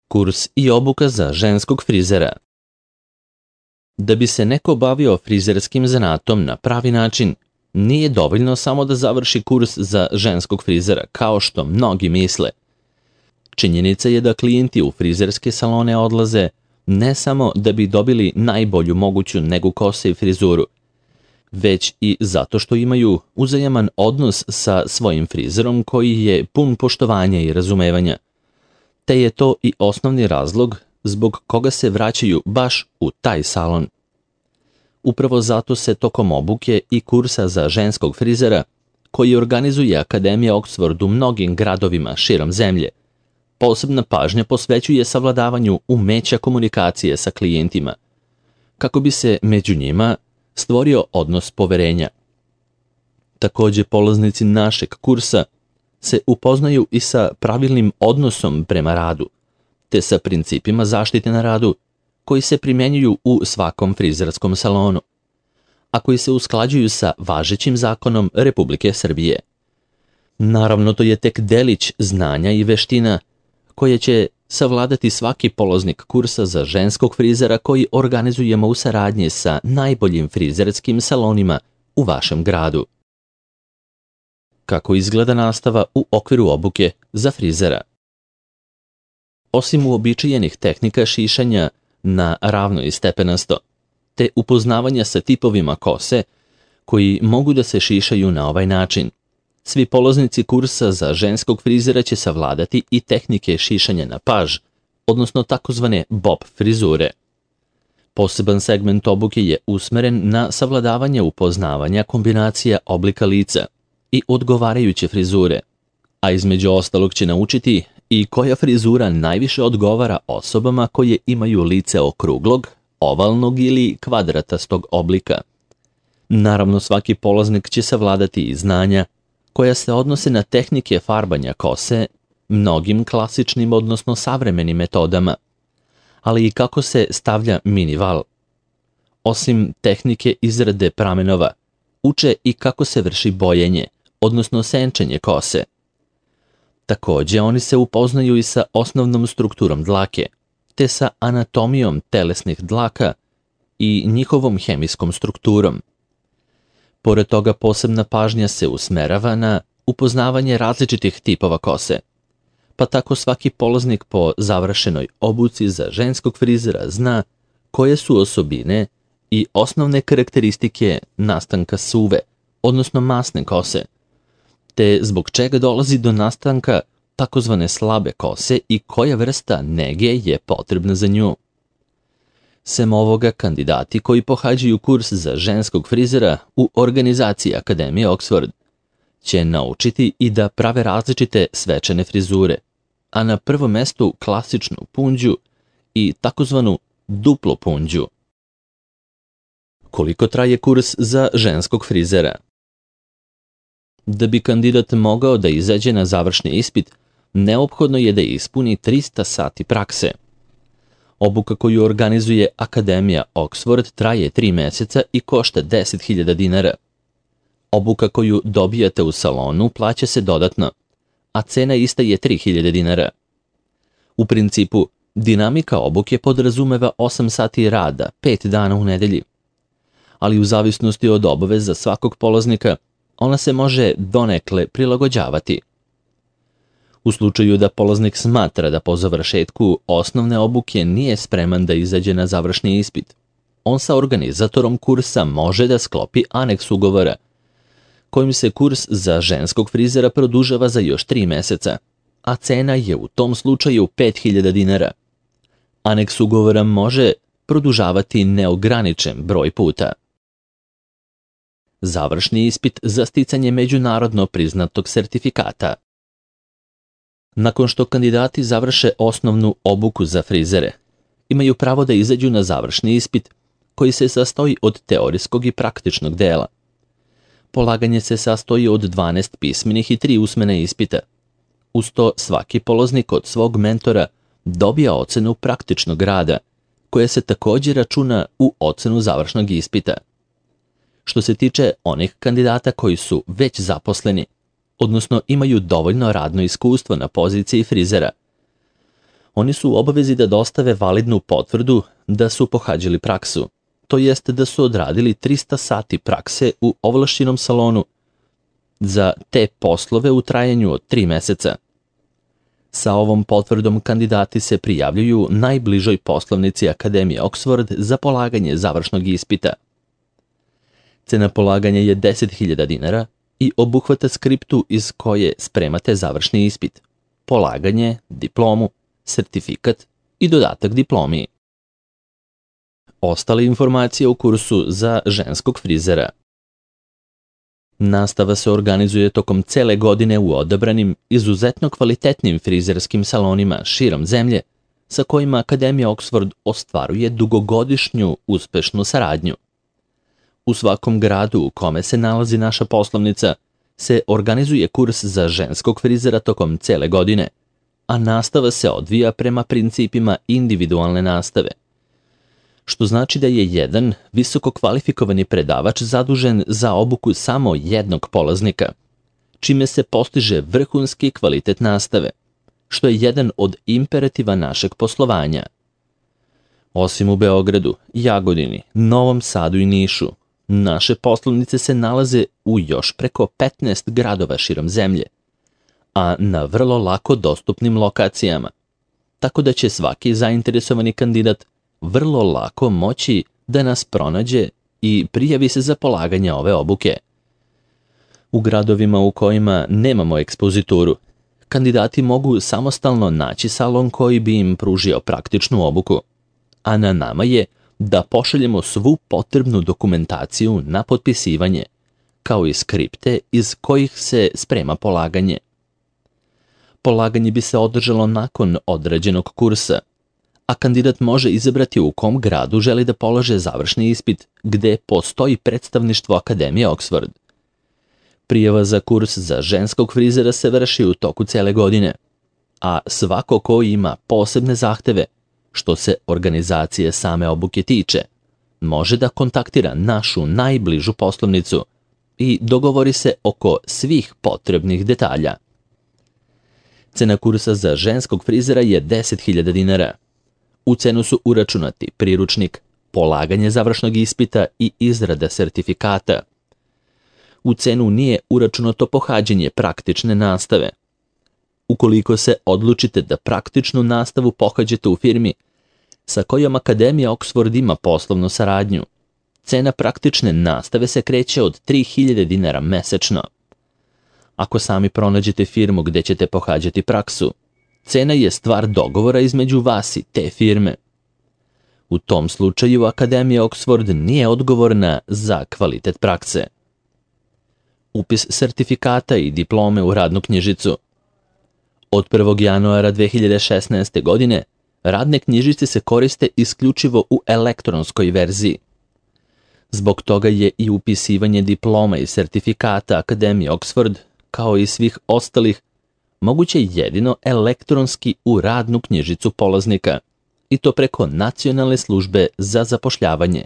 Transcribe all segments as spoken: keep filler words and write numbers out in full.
Kurs i obuka za ženskog frizera. Da bi se neko bavio frizerskim zanatom na pravi način, nije dovoljno samo da završi kurs za ženskog frizera, kao što mnogi misle. Činjenica je da klijenti u frizerske salone odlaze ne samo da bi dobili najbolju moguću negu kose i frizuru, već i zato što imaju uzajaman odnos sa svojim frizerom koji je pun poštovanja i razumevanja. Te je to i osnovni razlog zbog koga se vraćaju baš u taj salon. Upravo zato se tokom obuke i kursa za ženskog frizera, koji organizuje Akademija Oxford u mnogim gradovima širom zemlje, posebna pažnja posvećuje savladavanju umeća komunikacije sa klijentima, kako bi se među njima stvorio odnos poverenja. Također, polaznici našeg kursa se upoznaju i sa pravilnim odnosom prema radu, te sa principima zaštite na radu koji se primjenjuju u svakom frizerskom salonu, a koji se usklađuju sa važećim zakonom Republike Srbije. Naravno, to je tek delić znanja i veština koje će savladati svaki polaznik kursa za ženskog frizera koji organizujemo u saradnji sa najboljim frizerskim salonima u vašem gradu. Kako izgleda nastava u okviru obuke za frizera? Osim uobičajenih tehnika šišanja na ravno i stepenasto, te upoznavanja sa tipovima kose koji mogu da se šišaju na ovaj način, svi polaznici kursa za ženskog frizera će savladati i tehnike šišanja na paž, odnosno takozvane bob frizure. Poseban segment obuke je usmeren na savladavanje upoznavanja kombinacija oblika lica i odgovarajuće frizure, a između ostalog će naučiti i koja frizura najviše odgovara osobama koje imaju lice okruglog, ovalnog ili kvadratastog oblika. Naravno, svaki polaznik će savladati i znanja koja se odnose na tehnike farbanja kose mnogim klasičnim, odnosno savremenim metodama, ali i kako se stavlja mini val. Osim tehnike izrade pramenova, uče i kako se vrši bojenje, odnosno senčenje kose. Također, oni se upoznaju i sa osnovnom strukturom dlake, te sa anatomijom telesnih dlaka i njihovom hemijskom strukturom. Pored toga, posebna pažnja se usmerava na upoznavanje različitih tipova kose, pa tako svaki polaznik po završenoj obuci za ženskog frizera zna koje su osobine i osnovne karakteristike nastanka suve, odnosno masne kose, te zbog čega dolazi do nastanka takozvane slabe kose i koja vrsta nege je potrebna za nju. Sem ovoga, kandidati koji pohađaju kurs za ženskog frizera u organizaciji Akademije Oxford će naučiti i da prave različite svečane frizure, a na prvom mestu klasičnu punđu i takozvanu duplu punđu. Koliko traje kurs za ženskog frizera? Da bi kandidat mogao da izađe na završni ispit, neophodno je da ispuni trista sati prakse. Obuka koju organizuje Akademija Oxford traje tri meseca i košta deset hiljada dinara. Obuka koju dobijate u salonu plaća se dodatno, a cena ista je tri hiljade dinara. U principu, dinamika obuke podrazumeva osam sati rada, pet dana u nedelji, ali u zavisnosti od obaveza svakog polaznika, ona se može donekle prilagođavati. U slučaju da polaznik smatra da po završetku osnovne obuke nije spreman da izađe na završni ispit, on sa organizatorom kursa može da sklopi aneks ugovora, kojim se kurs za ženskog frizera produžava za još tri meseca, a cena je u tom slučaju pet hiljada dinara. Aneks ugovora može produžavati neograničen broj puta. Završni ispit za sticanje međunarodno priznatog sertifikata. Nakon što kandidati završe osnovnu obuku za frizere, imaju pravo da izađu na završni ispit koji se sastoji od teorijskog i praktičnog dela. Polaganje se sastoji od dvanaest pismenih i tri usmene ispita. Uz to svaki polaznik od svog mentora dobija ocenu praktičnog rada, koja se također računa u ocenu završnog ispita. Što se tiče onih kandidata koji su već zaposleni, odnosno imaju dovoljno radno iskustvo na poziciji frizera, Oni su u obavezi da dostave validnu potvrdu da su pohađali praksu, to jest da su odradili trista sati prakse u ovlašćenom salonu za te poslove u trajanju od tri meseca. Sa ovom potvrdom kandidati se prijavljuju najbližoj poslovnici Akademije Oxford za polaganje završnog ispita. Cena polaganja je deset hiljada dinara i obuhvata skriptu iz koje spremate završni ispit, polaganje, diplomu, sertifikat i dodatak diplomi. Ostale informacije o kursu za ženskog frizera. Nastava se organizuje tokom cele godine u odabranim, izuzetno kvalitetnim frizerskim salonima širom zemlje, sa kojima Akademija Oxford ostvaruje dugogodišnju uspešnu saradnju. U svakom gradu u kome se nalazi naša poslovnica se organizuje kurs za ženskog frizera tokom cele godine, a nastava se odvija prema principima individualne nastave, što znači da je jedan visoko kvalifikovani predavač zadužen za obuku samo jednog polaznika, čime se postiže vrhunski kvalitet nastave, što je jedan od imperativa našeg poslovanja. Osim u Beogradu, Jagodini, Novom Sadu i Nišu, naše poslovnice se nalaze u još preko petnaest gradova širom zemlje, a na vrlo lako dostupnim lokacijama, tako da će svaki zainteresovani kandidat vrlo lako moći da nas pronađe i prijavi se za polaganje ove obuke. U gradovima u kojima nemamo ekspozituru, kandidati mogu samostalno naći salon koji bi im pružio praktičnu obuku, a na nama je da pošaljemo svu potrebnu dokumentaciju na potpisivanje, kao i skripte iz kojih se sprema polaganje. Polaganje bi se održalo nakon odrađenog kursa, a kandidat može izabrati u kom gradu želi da polaže završni ispit, gde postoji predstavništvo Akademije Oxford. Prijava za kurs za ženskog frizera se vrši u toku cele godine, a svako ko ima posebne zahteve, što se organizacije same obuke tiče, može da kontaktira našu najbližu poslovnicu i dogovori se oko svih potrebnih detalja. Cena kursa za ženskog frizera je deset hiljada dinara. U cenu su uračunati priručnik, polaganje završnog ispita i izrada sertifikata. U cenu nije uračunato pohađanje praktične nastave. Ukoliko se odlučite da praktičnu nastavu pohađate u firmi sa kojom Akademija Oxford ima poslovnu saradnju, cena praktične nastave se kreće od tri hiljade dinara mesečno. Ako sami pronađete firmu gde ćete pohađati praksu, cena je stvar dogovora između vas i te firme. U tom slučaju Akademija Oxford nije odgovorna za kvalitet prakse. Upis sertifikata i diplome u radnu knjižicu. Od prvog januara dve hiljade šesnaeste. godine radne knjižice se koriste isključivo u elektronskoj verziji. Zbog toga je i upisivanje diploma i sertifikata Akademije Oxford, kao i svih ostalih, moguće jedino elektronski u radnu knjižicu polaznika, i to preko Nacionalne službe za zapošljavanje,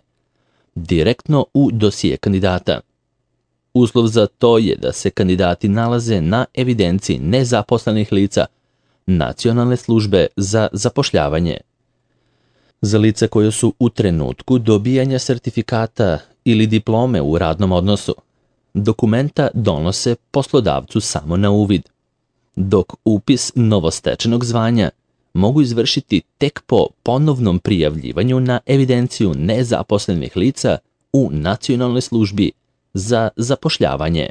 direktno u dosije kandidata. Uslov za to je da se kandidati nalaze na evidenciji nezaposlenih lica Nacionalne službe za zapošljavanje. Za lica koja su u trenutku dobijanja sertifikata ili diplome u radnom odnosu, dokumenta donose poslodavcu samo na uvid, dok upis novostečenog zvanja mogu izvršiti tek po ponovnom prijavljivanju na evidenciju nezaposlenih lica u Nacionalnoj službi za zapošljavanje.